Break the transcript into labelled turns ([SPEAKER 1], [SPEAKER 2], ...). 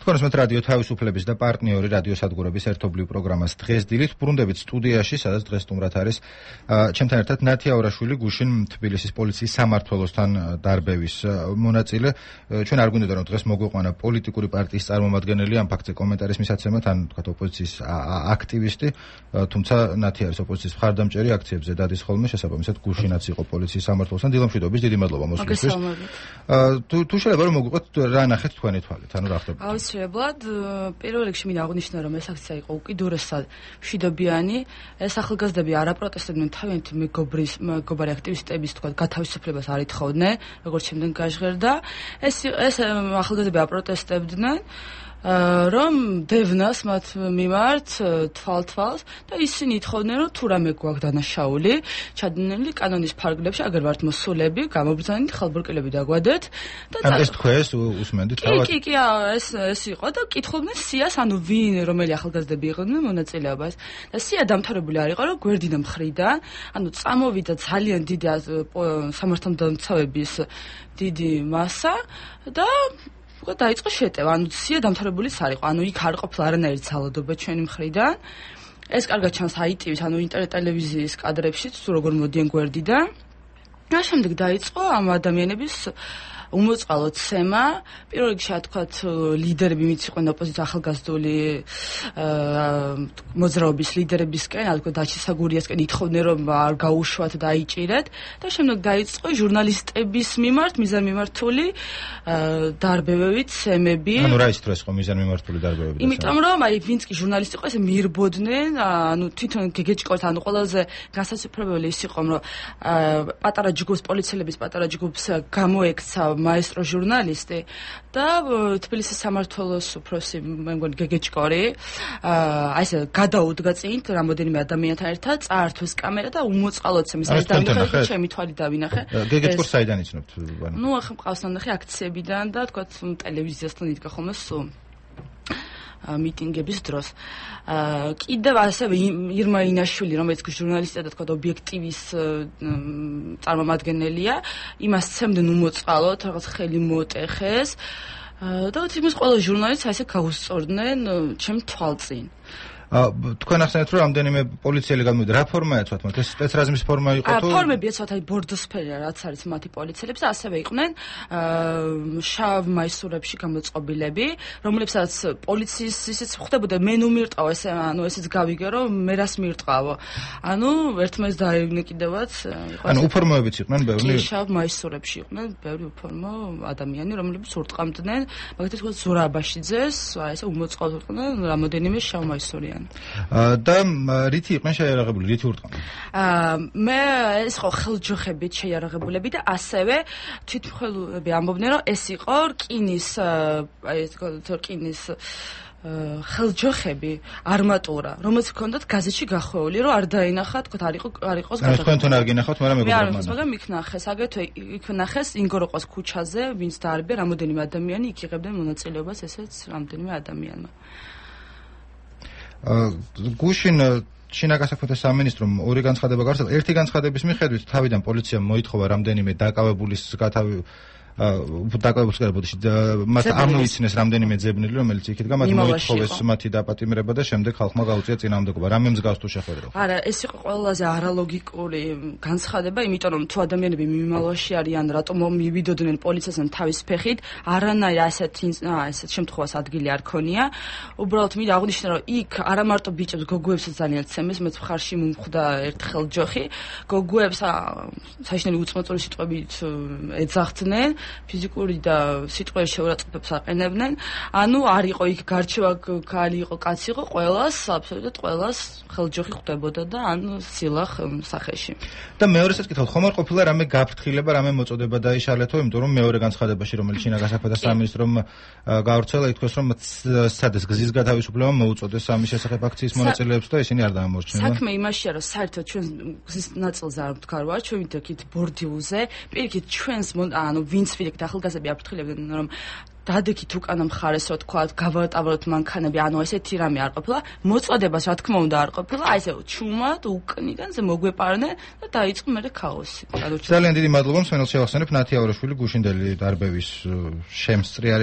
[SPEAKER 1] თქვენს რადიო თავისუფლების და პარტნიორი რადიოსადგურების ერთობლივ პროგრამას დღეს დილით ბრუნდებით სტუდიაში, სადაც დღეს სტუმრად არის ჩემთან ერთად ნათია ორაშვილი, გუშინ თბილისის პოლიციის სამმართველოსთან დარბევის მონაწილე. ჩვენ არ გვინდოდა რომ დღეს მოგვიყვანა პოლიტიკური პარტიის წარმომადგენელი ამ ფაქტზე კომენტარის მისაცემად, ან თქვათ ოპოზიციის აქტივისტი, თუმცა ნათია არის ოპოზიციის მხარდამჭერი, აქციებზე დადის ხოლმე, შესაბამისად გუშინაც იყო პოლიციის სამმართველოსთან. დილამშვიდობის, დიდი მადლობა მოსვლისთვის. თუ შეიძლება რომ მოგვიყვეთ რა ნახეთ თქვენი თვალით, ანუ რა ხდება?
[SPEAKER 2] აუცილებლად, პირველ რიგში მინდა აღვნიშნო, რომ ეს აქცია იყო უკიდურესად მშვიდობიანი. ეს ახალგაზრდები არ აპროტესტებდნენ თავიანთი მეგობარი აქტივისტების თქვა გათავისუფლებას არ ითხოვდნენ, როგორც შემდეგ გაჟღერდა. ეს ახალგაზრდები აპროტესტებდნენ რომ დევნას მათ მიმართ თვალთვალს და ისინი ითხოვდნენ რომ თუ რამე გვაქვს დანაშაული ჩადენილი კანონის ფარგლებში აგერ ვართ მოსულები გამობრძანით ხალბურკილები დაგვადეთ
[SPEAKER 1] და ეს თქვენს უსმენდით თავად
[SPEAKER 2] კი ეს იყო და კითხულობდნენ სიას ანუ ვინ რომელი ახალგაზრდები იყვნენ მონაწილეობას და სია დამთავრებული არ იყო რომ გვერდიდან მხრიდან ანუ წამოვიდა ძალიან დიდი სამართალდამცავების დიდი მასა და დაიწყო შეტევა, ანუ სია დამთავრებულიც არ იყო, ანუ იქ არ ყოფილა არანაირი ძალადობა ჩვენი მხრიდან. ეს კარგად ჩანს ITV-ს, ანუ ინტერნეტ ტელევიზიის კადრებშიც, თუ როგორ მოდიან გვერდიდან. და შემდეგ დაიწყო ამ ადამიანების უმოწყალო ცემა, პირველ რიგში თქვათ ლიდერები მიციყვნენ ოპოზიციის ახალგაზრდული მოძრაობის ლიდერებისკენ, თქვათ დაჩისა გურიასკენ ითხოვდნენ რომ არ გაუშვათ და აიჭირეთ და შემდეგ დაიწყო ჟურნალისტების მიმართ მიზანმიმართული დარბევები, ცემები.
[SPEAKER 1] ანუ რა ის თუ ეს ხო მიზანმიმართული დარბევები?
[SPEAKER 2] იმიტომ რომ აი ვინც კი ჟურნალისტი იყო, ესე მიირბოდნენ, ანუ თვითონ გეგეჭკორთ, ანუ ყველაზე განსაცდელი ის იყო, რომ პატარა ჯგუფს, პოლიციელების პატარა ჯგუფს გამოექცა მაესტრო ჟურნალისტი და თბილისის სამმართველოს უფროსი მე მგონი გეგეჭკორი აი ესე გადაუდგა წინ რამოდენიმე ადამიანთან ერთად წაართვეს კამერა და უმოწყალოდ ცემის ეს დავინახე ჩემი თვალით დავინახე
[SPEAKER 1] გეგეჭკორს საიდან იცნობთ?
[SPEAKER 2] ნუ ახლა მყავს ნახე აქციებიდან და თქვათ ტელევიზიასთან იდგა ხოლმე სულ მიტინგების დროს. კიდევ ასევე ირმა ინაშვილი, რომელიც ჟურნალისტია და თქვა ობიექტივის წარმომადგენელია, იმას ცემდნენ უმოწყალოდ, რაღაც ხელი მოტეხეს და თითქმის ყველა ჟურნალისტს ასე გაუსწორდნენ ჩემ თვალწინ.
[SPEAKER 1] თქვენ ახსენეთ რომ რამდენიმე პოლიციელი გამოვიდა. რა ფორმა ეცვათ მათ? ეს სპეცრაზმის ფორმა იყო თუ?
[SPEAKER 2] ფორმები ეცვათ აი ბორდოსფერია რაც არის მათი პოლიციელებს და ასევე იყვნენ შავ მაისურებში გამოწყობილები, რომლებსაც პოლიციის ისიც ხდებოდა მე ნუ მირტყავ ესე ანუ ესეც გავიგე რომ მე რას მირტყავო. ანუ ერთმანეთს დაევნე კიდევაც იყო.
[SPEAKER 1] ანუ უფორმოებიც იყვნენ ბევრი?
[SPEAKER 2] კი, შავ მაისურებში იყვნენ ბევრი უფორმო ადამიანი, რომლებიც ურტყამდნენ, მაგალითად თქვა ზურაბაშიძეს, აი ესე უმოწყალოდ იყვნენ რამოდენიმე შავ მაისური.
[SPEAKER 1] და რითი იყვნენ შეიარაღებული, რითი ურტყამდნენ?
[SPEAKER 2] მე ეს ხო ხელჯოხებით შეიარაღებულები და ასევე თვითმხილველები ამბობდნენ რომ ეს იყო რკინის აი ეს რკინის ხელჯოხები არმატურა, რომელიც ჰქონდათ გაზეთში გახვეული, რომ არ დაინახა, თქვა არ იყოს
[SPEAKER 1] გადაღებული. თქვენთან არ გინახავთ, მაგრამ მეგობრებმა.
[SPEAKER 2] მაგრამ იქ ნახეს, აგრეთვე იქ ნახეს ინგოროყოს ქუჩაზე, ვინც დაარბია რამოდენიმე ადამიანი, იქ იღებდნენ მონაწილეობას ესეც რამდენიმე ადამიანმა.
[SPEAKER 1] გუშინ შინაგან საქმეთა სამინისტრომ ორი განცხადება გავრცელა. ერთი განცხადების მიხედვით თავიდან პოლიციამ მოითხოვა რამდენიმე დაკავებულის მათ არ მოიცნეს რამდენიმე ძებნელი, რომელიც იქით მათ მოითხოვეს მათი დაპატიმრება და შემდეგ ხალხმა გაუწია წინააღმდეგობა. რამე მსგავს თუ შეხვედრა?
[SPEAKER 2] არა, ეს იყო ყველაზე არალოგიკური განცხადება, იმიტომ რომ თუ ადამიანები მიმალვაში არიან, რატომ მივიდოდნენ პოლიციასთან თავის ფეხით, არანაირ ასეთ შემთხვევას ადგილი არ ქონია. უბრალოდ მინდა აღვნიშნო, რომ იქ არა მარტო ბიჭებს, გოგოებსაც ძალიან ცემეს, მეც მხარში მომხვდა ერთხელ ჯოხი. გოგოებს საშინელი უწმოწური სიტყვებით ეძახდნენ. ფიზიკური და სიტყვების შეურაცხყოფებს აყენებდნენ. ანუ არ იყო იქ გარჩევა ქალი იყო, კაცი იყო, ყველას, აბსოლუტურად ყველას ხელჯოხი ხვდებოდა და ან სილახ სახეში.
[SPEAKER 1] და მეორესაც კითხავთ, ხომ არ ყოფილა რამე გაფრთხილება, რამე მოწოდება დაიშალეთო, იმიტომ რომ მეორე განცხადებაში, რომელიც შინაგან საქმეთა სამინისტრომ გავრცელა, ითქვას, რომ სადეს გზის გათავისუფლება მოუწოდეს ამის შესახებ აქციის მონაწილეებს და ისინი არ დაამორჩნენ.
[SPEAKER 2] საქმე იმაშია, რომ საერთოდ ჩვენ გზის ნაწილზე არ ვდგარვარ, ჩვენ ვიდექით ბორდიულზე, პირიქით ჩვენს ანუ ვინც ვიდექით ახალგაზრდები აფრთხილებდნენ, რომ დადექით უკანა მხარეს, რა თქვა, გავატავროთ მანქანები, ანუ ესეთი რამე არ ყოფილა, მოწოდებას რა თქმა უნდა არ ყოფილა, აი ესე ჩუმად უკნიდანზე მოგვეპარნენ და დაიწყო მერე ქაოსი.
[SPEAKER 1] ძალიან დიდი მადლობა მსმენელს შევახსენებ, ნათია ორაშვილი გუშინდელი დარბევის შემსწრი არის.